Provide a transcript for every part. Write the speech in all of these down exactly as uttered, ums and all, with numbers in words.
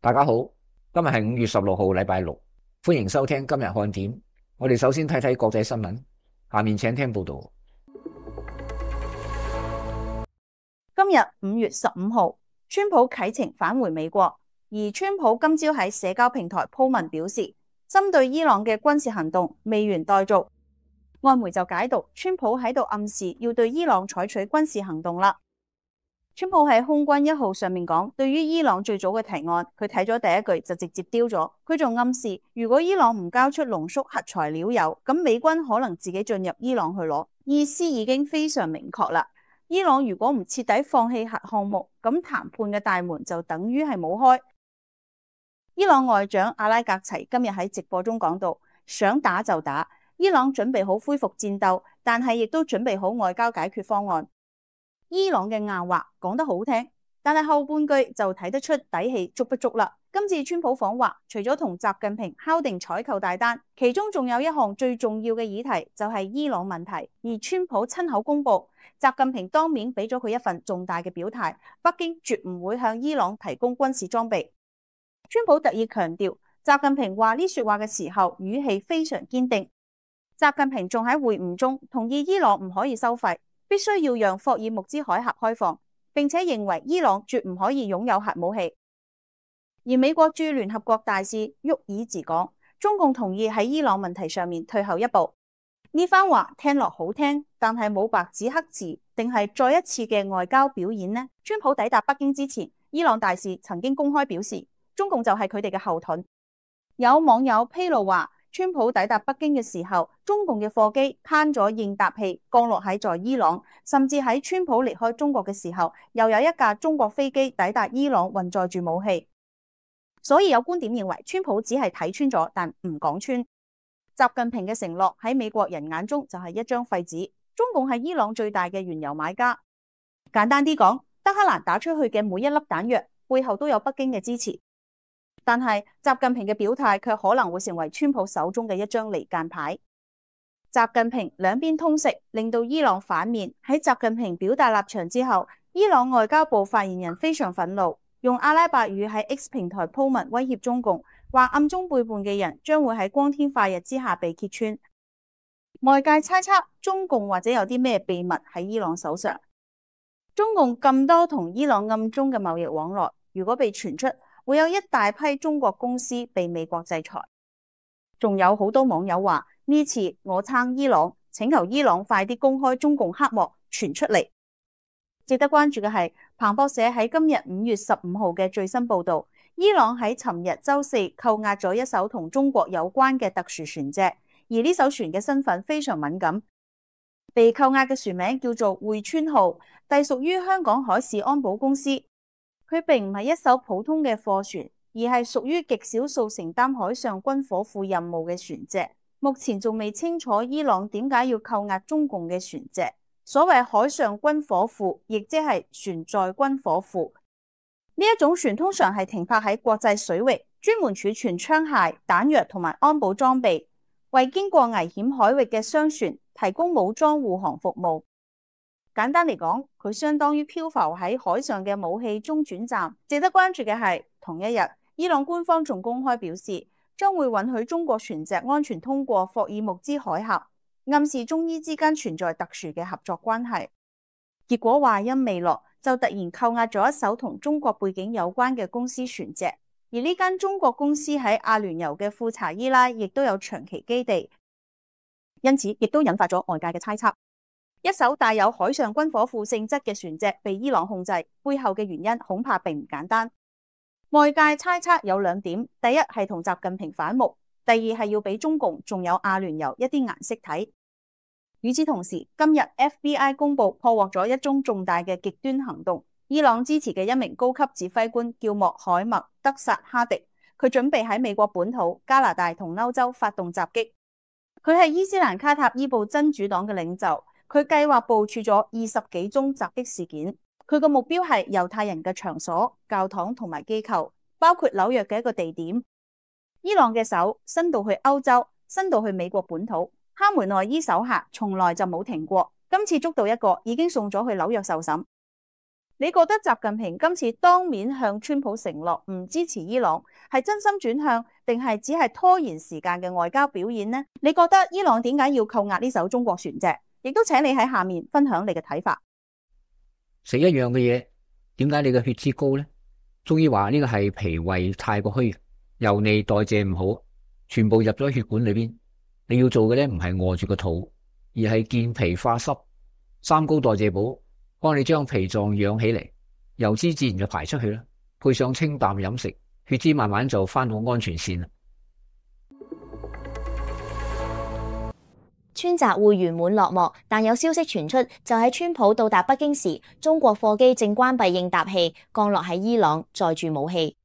大家好，今日係五月十六號，禮拜六，歡迎收聽今日看點。我哋首先睇睇國際新聞，下面請聽報道。今日五月十五號，川普啟程返回美國，而川普今朝喺社交平台鋪文表示，針對伊朗嘅軍事行動未完待續。外媒就解讀川普喺度暗示要對伊朗採取軍事行動啦。川普喺空軍一號上面講，對於伊朗最早嘅提案，佢睇咗第一句就直接丟咗。佢仲暗示，如果伊朗唔交出濃縮核材料鈾，咁美軍可能自己進入伊朗去攞。意思已經非常明確啦。伊朗如果唔徹底放棄核項目，咁談判嘅大門就等於係冇開。伊朗外長阿拉格齊今日喺直播中講到，想打就打，伊朗準備好恢復戰鬥，但係亦都準備好外交解決方案。伊朗嘅硬話講得好聽，但係後半句就睇得出底氣足不足啦。今次川普訪華，除咗同習近平敲定採購大單，其中仲有一項最重要嘅議題就係伊朗問題，而川普親口公布，習近平當面俾咗佢一份重大嘅表態，北京絕唔會向伊朗提供軍事裝備。川普特意強調，習近平話呢說話嘅時候語氣非常堅定。習近平仲喺會晤中同意伊朗唔可以收費，必須要讓霍爾木茲海峽開放，並且認為伊朗絕唔可以擁有核武器。而美國駐聯合國大使沃爾茲講，中共同意喺伊朗問題上面退後一步。呢番話聽落好聽，但係冇白紙黑字，定係再一次嘅外交表演呢？川普抵達北京之前，伊朗大使曾經公開表示，中共就係佢哋嘅後盾。有網友披露話，川普抵達北京嘅時候，中共嘅貨機攤咗應答器降落喺在伊朗，甚至喺川普離開中國嘅時候，又有一架中國飛機抵達伊朗運載住武器。所以有觀點認為，川普只係睇穿咗，但唔講穿。習近平嘅承諾喺美國人眼中就係一張廢紙。中共係伊朗最大嘅原油買家。簡單啲講，德黑蘭打出去嘅每一粒彈藥背後都有北京嘅支持。但係習近平嘅表態卻可能會成為川普手中嘅一張離間牌。習近平兩邊通食，令到伊朗反面。喺習近平表達立場之後，伊朗外交部發言人非常憤怒，用阿拉伯語喺 X 平台鋪文威脅中共，話暗中背叛嘅人將會喺光天化日之下被揭穿。外界猜測中共或者有啲咩秘密喺伊朗手上。中共咁多同伊朗暗中嘅貿易往來，如果被傳出，會有一大批中國公司被美國制裁。仲有好多網友話，呢次我撐伊朗，請求伊朗快啲公開中共黑幕傳出嚟。值得關注嘅係，彭博社喺今日五月十五號嘅最新報道，伊朗喺尋日周四扣押咗一艘同中國有關嘅特殊船隻，而呢艘船嘅身份非常敏感。被扣押嘅船名叫做匯川號，隸屬於香港海事安保公司。佢並唔係一艘普通嘅貨船，而係屬於極少數承擔海上軍火庫任務嘅船隻。目前仲未清楚伊朗點解要扣押中共嘅船隻。所謂海上軍火庫，亦即係船載軍火庫。呢一種船通常係停泊喺國際水域，專門儲存槍械、彈藥同埋安保裝備，為經過危險海域嘅商船提供武裝護航服務。簡單嚟講，佢相當於漂浮喺海上嘅武器中轉站。值得關注嘅係，同一日，伊朗官方仲公開表示，將會允許中國船隻安全通過霍爾木茲海峽，暗示中伊之間存在特殊嘅合作關係。結果話音未落，就突然扣押咗一艘同中國背景有關嘅公司船隻，而呢間中國公司喺阿聯酋嘅庫查伊拉亦都有長期基地，因此亦都引發咗外界嘅猜測。一艘帶有海上軍火庫性質嘅船隻被伊朗控制，背後嘅原因恐怕並唔簡單。外界猜測有兩點，第一係同習近平反目，第二係要俾中共仲有阿聯酋一啲顏色睇。與此同時，今日 F B I 公布破獲咗一宗重大嘅極端行動，伊朗支持嘅一名高級指揮官叫莫海默德薩哈迪，佢準備喺美國本土、加拿大同歐洲發動襲擊。佢係伊斯蘭卡塔伊布真主黨嘅領袖。佢計劃部署咗二十幾宗襲擊事件，佢個目標係猶太人嘅場所、教堂同埋機構，包括紐約嘅一個地點。伊朗嘅手伸到去歐洲，伸到去美國本土，哈梅內伊手下從來就冇停過。今次捉到一個，已經送咗去紐約受審。你覺得習近平今次當面向川普承諾唔支持伊朗，係真心轉向，定係只係拖延時間嘅外交表演呢？你覺得伊朗點解要扣押呢艘中國船隻？亦都請你喺下面分享你嘅睇法。食一樣嘅嘢，點解你嘅血脂高呢？中醫話呢個係脾胃太過虛，油膩代謝唔好，全部入咗血管裏邊。你要做嘅咧唔係餓住個肚，而係健脾化濕，三高代謝補，幫你將脾臟養起嚟，油脂自然就排出去啦。配上清淡飲食，血脂慢慢就翻到安全線啦。川習會圓滿落幕，但有消息傳出，就喺川普到達北京時，中國貨機正關閉應答器，降落喺伊朗，載住武器。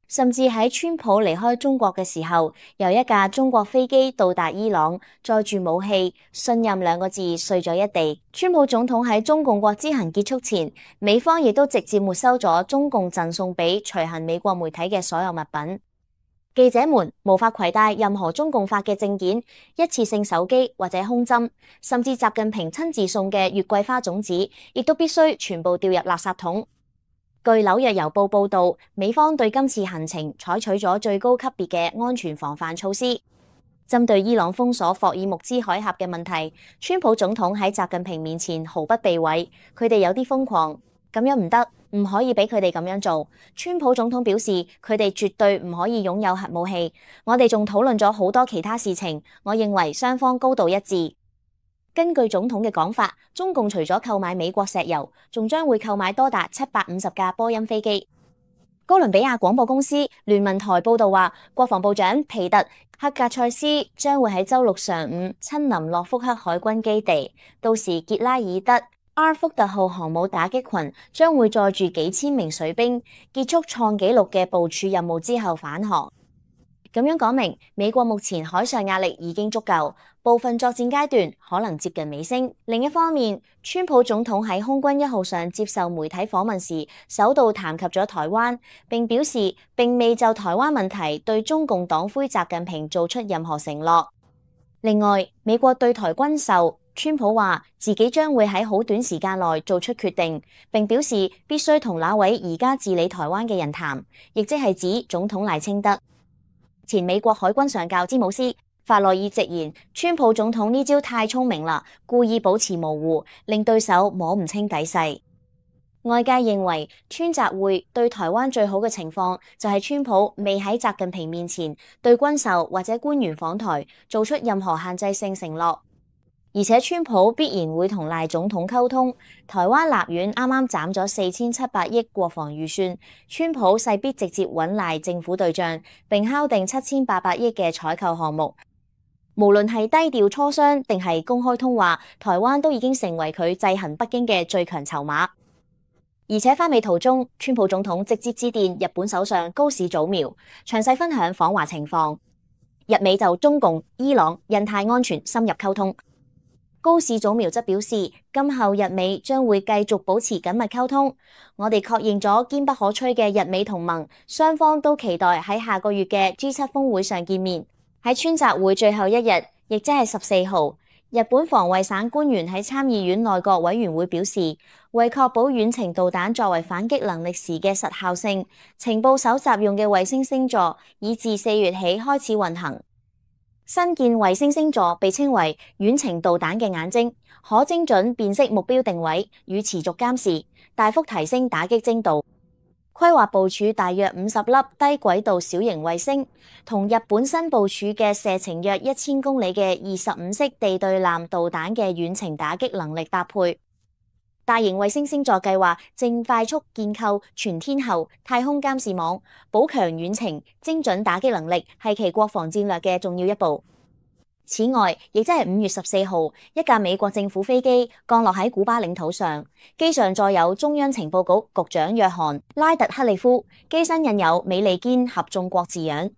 甚至喺川普離開中國嘅時候，由一架中國飛機到達伊朗，載住武器，信任兩個字碎咗一地。川普總統喺中共國之行結束前，美方亦都直接沒收咗中共贈送俾隨行美國媒體嘅所有物品。記者們無法攜帶任何中共發嘅證件、一次性手機或者胸針，甚至習近平親自送嘅月桂花種子，亦都必須全部掉入垃圾桶。據紐約郵報報道，美方對今次行程採取咗最高級別嘅安全防範措施。針對伊朗封鎖霍爾木茲海峽嘅問題，川普總統喺習近平面前毫不避諱，佢哋有啲瘋狂，咁樣唔得，唔可以俾佢哋咁樣做。川普總統表示，佢哋絕對唔可以擁有核武器。我哋仲討論咗好多其他事情，我認為雙方高度一致。根據總統嘅講法，中共除咗購買美國石油，仲將會購買多達七百五十架波音飛機。哥倫比亞廣播公司聯文台報道話，國防部長皮特克格塞斯將會喺週六上午親臨諾福克海軍基地，到時傑拉爾德阿爾福特號航母打擊群將會載住幾千名水兵，結束創紀錄嘅部署任務之後返航。咁樣講明，美國目前海上壓力已經足夠，部分作戰階段可能接近尾聲。另一方面，川普總統喺空軍一號上接受媒體訪問時，首度談及咗台灣，並表示並未就台灣問題對中共黨魁習近平做出任何承諾。另外，美國對台軍售，川普話自己將會喺好短時間內做出決定，並表示必須同那位而家治理台灣嘅人談，亦即係指總統賴清德。前美國海軍上校詹姆斯法內爾直言，川普總統呢招太聰明啦，故意保持模糊，令對手摸唔清底細。外界認為川習會對台灣最好嘅情況就係川普未喺習近平面前對軍售或者官員訪台做出任何限制性承諾。而且川普必然會同賴總統溝通，台灣立院啱啱斬咗四千七百億國防預算，川普勢必直接揾賴政府對賬，並敲定七千八百億嘅採購項目。無論係低調磋商定係公開通話，台灣都已經成為佢制衡北京嘅最強籌碼。而且返美途中，川普總統直接致電日本首相高市早苗，詳細分享訪華情況。日美就中共、伊朗、印太安全深入溝通。高市早苗則表示，今後日美將會繼續保持緊密溝通。我哋確認咗堅不可摧嘅日美同盟，雙方都期待喺下個月嘅 G 七 峰會上見面。喺川習會最後一日，亦即係十四號，日本防衛省官員喺參議院內閣委員會表示，為確保遠程導彈作為反擊能力時嘅實效性，情報搜集用嘅衛星星座已自四月起開始運行。新建衛星星座被稱為遠程導彈嘅眼睛，可精準辨識目標定位與持續監視，大幅提升打擊精度。規劃部署大約五十粒低軌道小型衛星，同日本新部署嘅射程約一千公里嘅二十五式地對艦導彈嘅遠程打擊能力搭配。大型衛星星座計劃正快速建構全天候太空監視網，補強遠程精準打擊能力，係其國防戰略嘅重要一步。此外，亦即係五月十四號，一架美國政府飛機降落喺古巴領土上，機上載有中央情報局局長約翰拉特克利夫，機身印有美利堅合眾國字樣。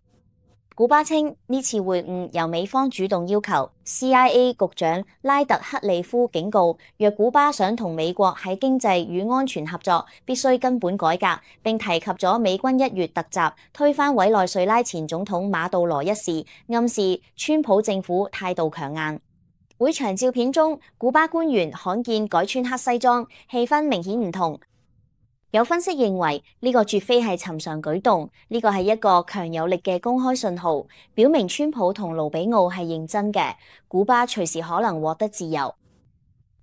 古巴稱呢次會晤由美方主動要求。C I A 局長拉特克利夫警告，若古巴想同美國喺經濟與安全合作，必須根本改革，並提及咗美軍一月突襲推翻委內瑞拉前總統馬杜羅一事，暗示川普政府態度強硬。會場照片中，古巴官員罕見改穿黑西裝，氣氛明顯唔同。有分析認為，呢個絕非係尋常舉動，呢個係一個強有力嘅公開信號，表明川普同盧比奧係認真嘅，古巴隨時可能獲得自由。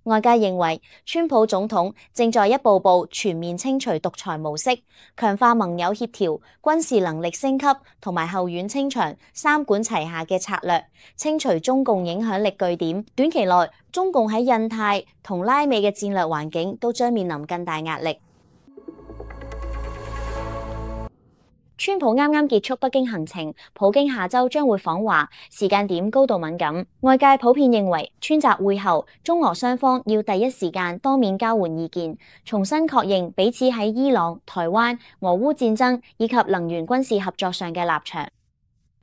外界認為，川普總統正在一步步全面清除獨裁模式，強化盟友協調、軍事能力升級同埋後院清場三管齊下嘅策略，清除中共影響力據點。短期內，中共喺印太同拉美嘅戰略環境都將面臨更大壓力。川普啱啱結束北京行程，普京下週將會訪華，時間點高度敏感。外界普遍認為，川習會後，中俄雙方要第一時間當面交換意見，重新確認彼此喺伊朗、台灣、俄烏戰爭以及能源軍事合作上嘅立場。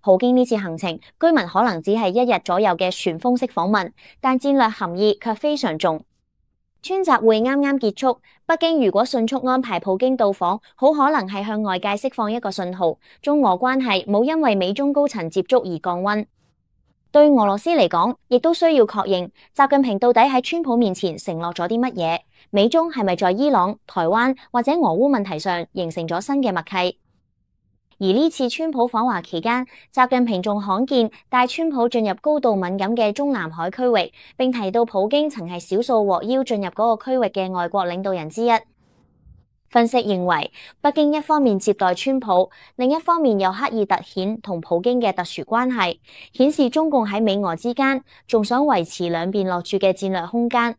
普京呢次行程，居民可能只係一日左右嘅旋風式訪問，但戰略含義卻非常重。川習會啱啱結束，北京如果迅速安排普京到訪，好可能係向外界釋放一個信號，中俄關係冇因為美中高層接觸而降溫。對俄羅斯嚟講，亦都需要確認習近平到底喺川普面前承諾咗啲乜嘢，美中係咪在伊朗、台灣或者俄烏問題上形成咗新嘅默契？而呢次川普訪華期間，習近平仲罕見帶川普進入高度敏感嘅中南海區域，並提到普京曾係少數獲邀進入嗰個區域嘅外國領導人之一。分析認為，北京一方面接待川普，另一方面又刻意凸顯同普京嘅特殊關係，顯示中共喺美俄之間仲想維持兩邊落注嘅戰略空間。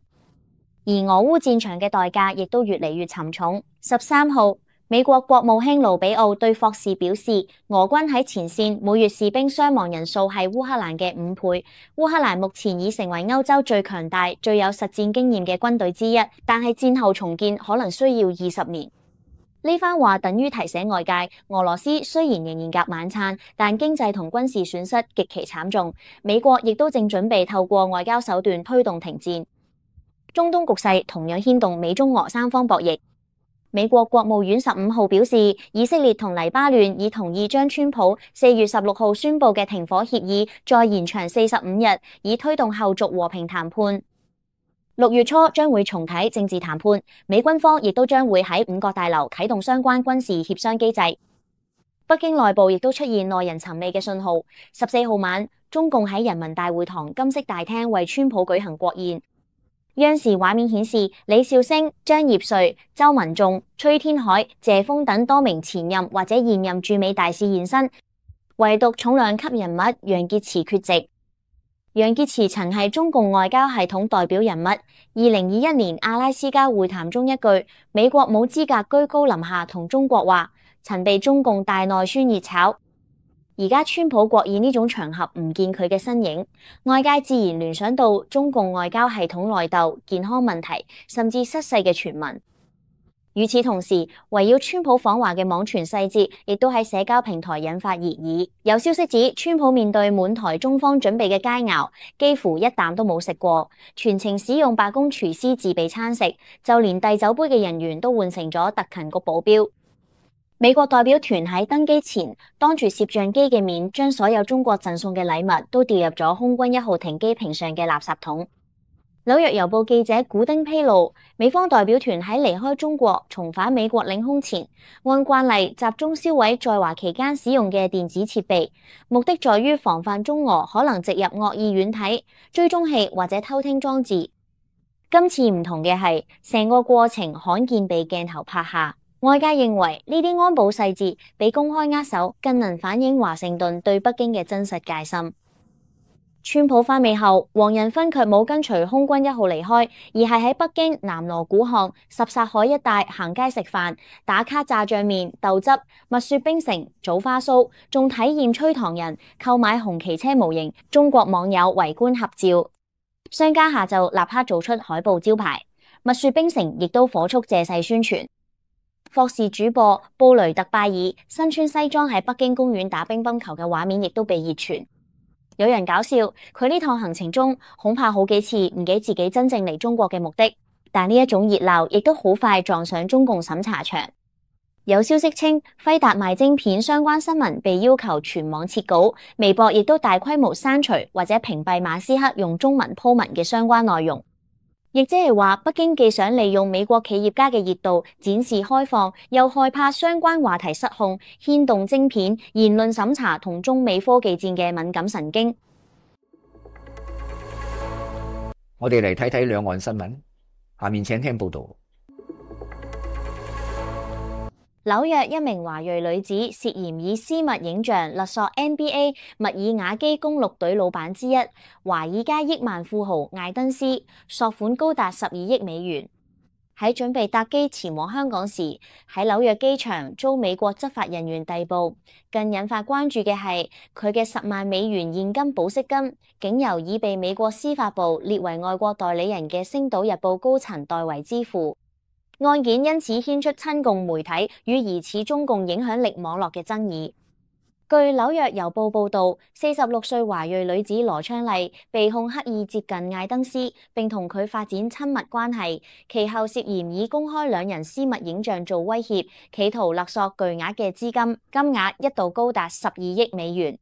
而俄烏戰場嘅代價亦都越嚟越沉重。十三號，美國國務卿盧比奧對霍士表示，俄軍喺前線每月士兵傷亡人數係烏克蘭嘅五倍。烏克蘭目前已成為歐洲最強大、最有實戰經驗嘅軍隊之一，但係戰後重建可能需要二十年。呢番話等於提醒外界，俄羅斯雖然仍然夾晚餐，但經濟同軍事損失極其慘重。美國亦都正準備透過外交手段推動停戰。中東局勢同樣牽動美中俄三方博弈。美國國務院十五號表示，以色列同黎巴嫩已同意將川普四月十六號宣布嘅停火協議再延長四十五日，以推動後續和平談判。六月初將會重啟政治談判，美軍方亦都將會喺五角大樓啟動相關軍事協商機制。北京內部亦都出現耐人尋味嘅信號。十四號晚，中共喺人民大會堂金色大廳為川普舉行國宴。央視畫面顯示，李兆星、張業遂、周文重、崔天凱、謝鋒等多名前任或者現任駐美大使現身，唯獨重量級人物楊潔篪缺席。楊潔篪曾係中共外交系統代表人物，二零二一年阿拉斯加會談中一句美國冇資格居高臨下同中國話，曾被中共大內宣熱炒。而家川普國宴呢種場合唔見佢嘅身影，外界自然聯想到中共外交系統內鬥、健康問題，甚至失勢嘅傳聞。與此同時，圍繞川普訪華嘅網傳細節，亦都喺社交平台引發熱議。有消息指，川普面對滿台中方準備嘅佳肴，幾乎一啖都冇食過，全程使用白宮廚師自備餐食，就連遞酒杯嘅人員都換成咗特勤局保鏢。美國代表團喺登機前，當住攝像機嘅面，將所有中國贈送嘅禮物都掉入咗空軍一號停機坪上嘅垃圾桶。紐約郵報記者古丁披露，美方代表團喺離開中國重返美國領空前，按慣例集中銷毀在華期間使用嘅電子設備，目的在於防範中俄可能植入惡意軟體、追蹤器或者偷聽裝置。今次唔同嘅係，成個過程罕見被鏡頭拍下。外界認為呢啲安保細節比公開握手更能反映華盛頓對北京嘅真實戒心。川普返美後，黃仁勳卻冇跟隨空軍一號離開，而係喺北京南鑼鼓巷、什剎海一帶行街食飯、打卡炸醬麵、豆汁、蜜雪冰城、棗花酥，仲體驗吹糖人、購買紅旗車模型，中國網友圍觀合照。商家下晝立刻做出海報招牌，蜜雪冰城亦都火速借勢宣傳。霍士主播布雷特拜爾身穿西裝喺北京公園打乒乓球嘅畫面亦都被熱傳。有人搞笑，佢呢趟行程中恐怕好幾次唔記自己真正嚟中國嘅目的，但呢一種熱鬧亦都好快撞上中共審查場。有消息稱，輝達賣晶片相關新聞被要求全網撤稿，微博亦都大規模刪除或者屏蔽馬斯克用中文鋪文嘅相關內容。亦即係話，北京既想利用美國企業家嘅熱度展示開放，又害怕相關話題失控，牽動晶片、言論審查同中美科技戰嘅敏感神經。我哋嚟睇睇兩岸新聞，下面請聽報道。紐約一名華裔女子涉嫌以私密影像勒索 N B A 密爾瓦基公鹿隊老闆之一華爾街億萬富豪艾登斯，索款高達十二億美元。喺準備搭機前往香港時，喺紐約機場遭美國執法人員逮捕。更引發關注嘅係佢嘅十萬美元現金保釋金，竟由已被美國司法部列為外國代理人嘅《星島日報》高層代為支付。案件因此牽出親共媒體與疑似中共影響力網絡嘅爭議。據紐約郵報報導，四十六歲華裔女子羅昌麗被控刻意接近艾登斯，並同佢發展親密關係，其後涉嫌以公開兩人私密影像做威脅，企圖勒索巨額嘅資金，金額一度高達十二億美元。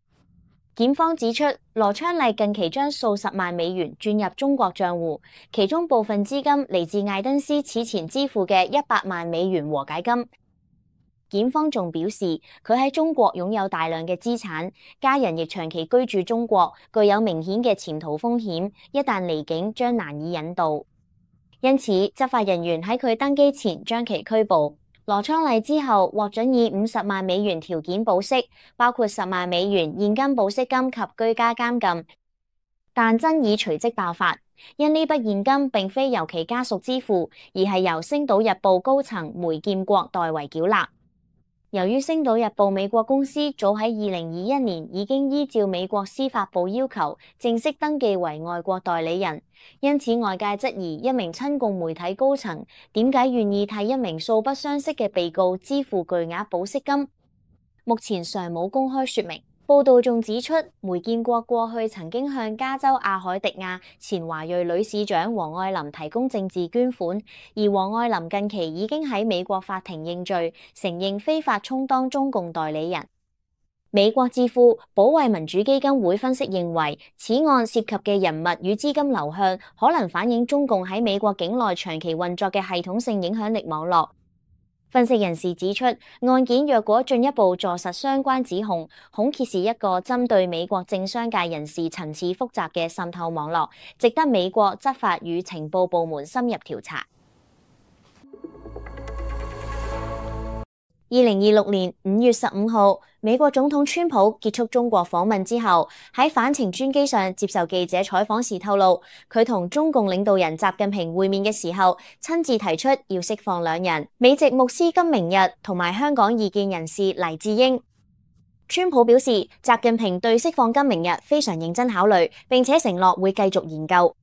檢方指出，羅昌麗近期將數十萬美元轉入中國賬戶，其中部分資金嚟自艾登斯此前支付嘅一百萬美元和解金。檢方仲表示，佢喺中國擁有大量嘅資產，家人亦長期居住中國，具有明顯嘅潛逃風險，一旦離境將難以引渡。因此，執法人員喺佢登機前將其拘捕。羅昌麗之後獲准以五十萬美元條件保釋，包括十萬美元現金保釋金及居家監禁。但爭議隨即爆發，因呢筆現金並非由其家屬支付，而係由《星島日報》高層梅劍國代為繳納。由於《星島日報》美國公司早喺二零二一年已經依照美國司法部要求正式登記為外國代理人，因此外界質疑一名親共媒體高層點解願意替一名素不相識嘅被告支付巨額保釋金，目前尚冇公開說明。報道仲指出，梅建國過去曾經向加州阿海迪亞前華裔女市長黃愛琳提供政治捐款，而黃愛琳近期已經喺美國法庭認罪，承認非法充當中共代理人。美國智庫保衛民主基金會分析認為，此案涉及嘅人物與資金流向可能反映中共喺美國境內長期運作嘅系統性影響力網絡。分析人士指出，案件若果進一步坐實相關指控，恐揭示一個針對美國政商界人士層次複雜嘅滲透網絡，值得美國執法與情報部門深入調查。二零二六年五月十五號，美國總統川普結束中國訪問之後，喺返程專機上接受記者採訪時透露，佢同中共領導人習近平會面嘅時候，親自提出要釋放兩人：美籍牧師金明日同埋香港異見人士黎智英。川普表示，習近平對釋放金明日非常認真考慮，並且承諾會繼續研究。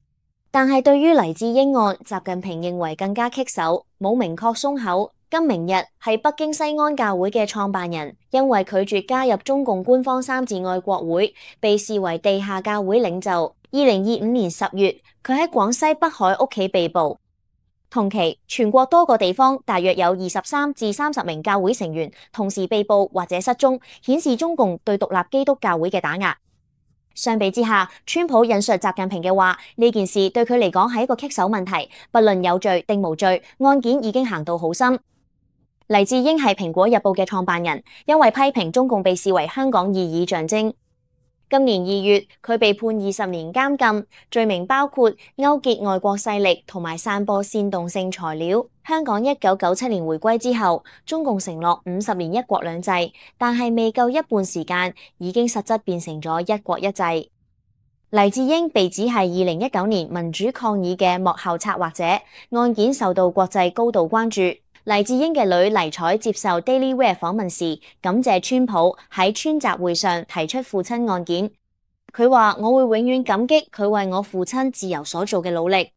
但係對於黎智英案，習近平認為更加棘手，冇明確鬆口。金明日係北京西安教會嘅創辦人，因為拒絕加入中共官方三自愛國會，被視為地下教會領袖。二零二五年十月，佢喺廣西北海屋企被捕。同期，全國多個地方大約有二十三至三十名教會成員同時被捕或者失蹤，顯示中共對獨立基督教會嘅打壓。相比之下，川普引述習近平嘅話，呢件事對佢嚟講係一個棘手問題，不論有罪定無罪，案件已經行到好深。黎智英係蘋果日報嘅創辦人，因為批評中共被視為香港異議象徵。今年二月，佢被判二十年監禁，罪名包括勾結外國勢力同埋散播煽動性材料。香港一九九七年回歸之後，中共承諾五十年一國兩制，但係未夠一半時間，已經實質變成咗一國一制。黎智英被指係二零一九年民主抗議嘅幕後策劃者，案件受到國際高度關注。黎智英嘅女黎彩接受 Daily Wire 訪問時，感謝川普喺川習會上提出父親案件。佢話：我會永遠感激佢為我父親自由所做嘅努力。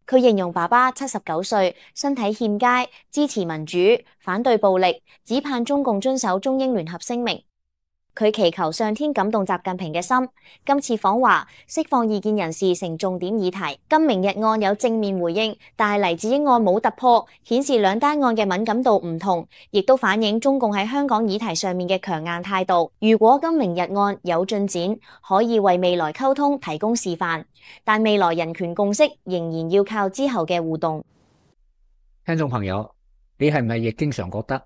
佢形容爸爸七十九歲，身體欠佳，支持民主，反對暴力，只盼中共遵守中英聯合聲明。佢祈求上天感動習近平嘅心。今次訪華釋放異見人士成重點議題，今明日案有正面回應，但係黎智英案冇突破，顯示兩單案嘅敏感度唔同，亦都反映中共喺香港議題上面嘅強硬態度。如果今明日案有進展，可以為未來溝通提供示範，但未來人權共識仍然要靠之後嘅互動。聽眾朋友，你係唔係亦經常覺得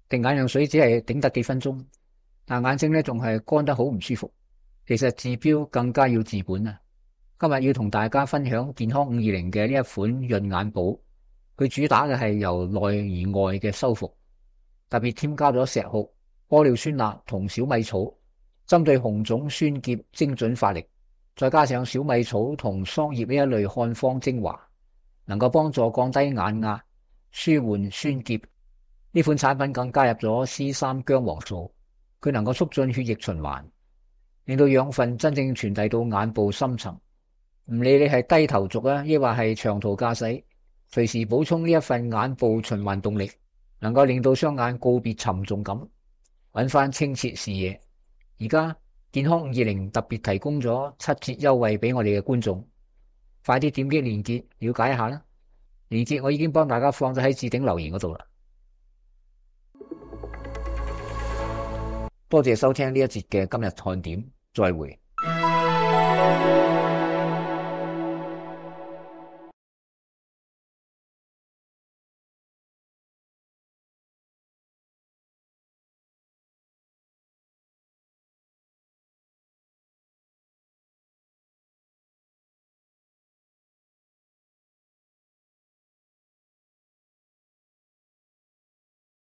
滴眼藥水只係頂得幾分鐘，但眼睛咧仲係乾得好唔舒服？其實治標更加要治本啊！今日要同大家分享健康五二零嘅呢一款潤眼寶，佢主打嘅係由內而外嘅修復，特別添加咗石斛、玻尿酸鈉同小米草，針對紅腫酸澀精準發力，再加上小米草同桑葉呢一類漢方精華，能夠幫助降低眼壓、舒緩酸澀。呢款產品更加入咗 C 三 薑黃素，佢能夠促進血液循環，令到養分真正傳遞到眼部深層。唔理你係低頭族啊，抑或係長途駕駛，隨時補充呢一份眼部循環動力，能夠令到雙眼告別沉重感，揾翻清澈視野。而家健康五二零特別提供咗七折優惠俾我哋嘅觀眾，快啲點擊鏈接了解一下啦。鏈接我已經幫大家放咗喺置頂留言嗰度啦。多謝收聽呢一節嘅今日看點，再會。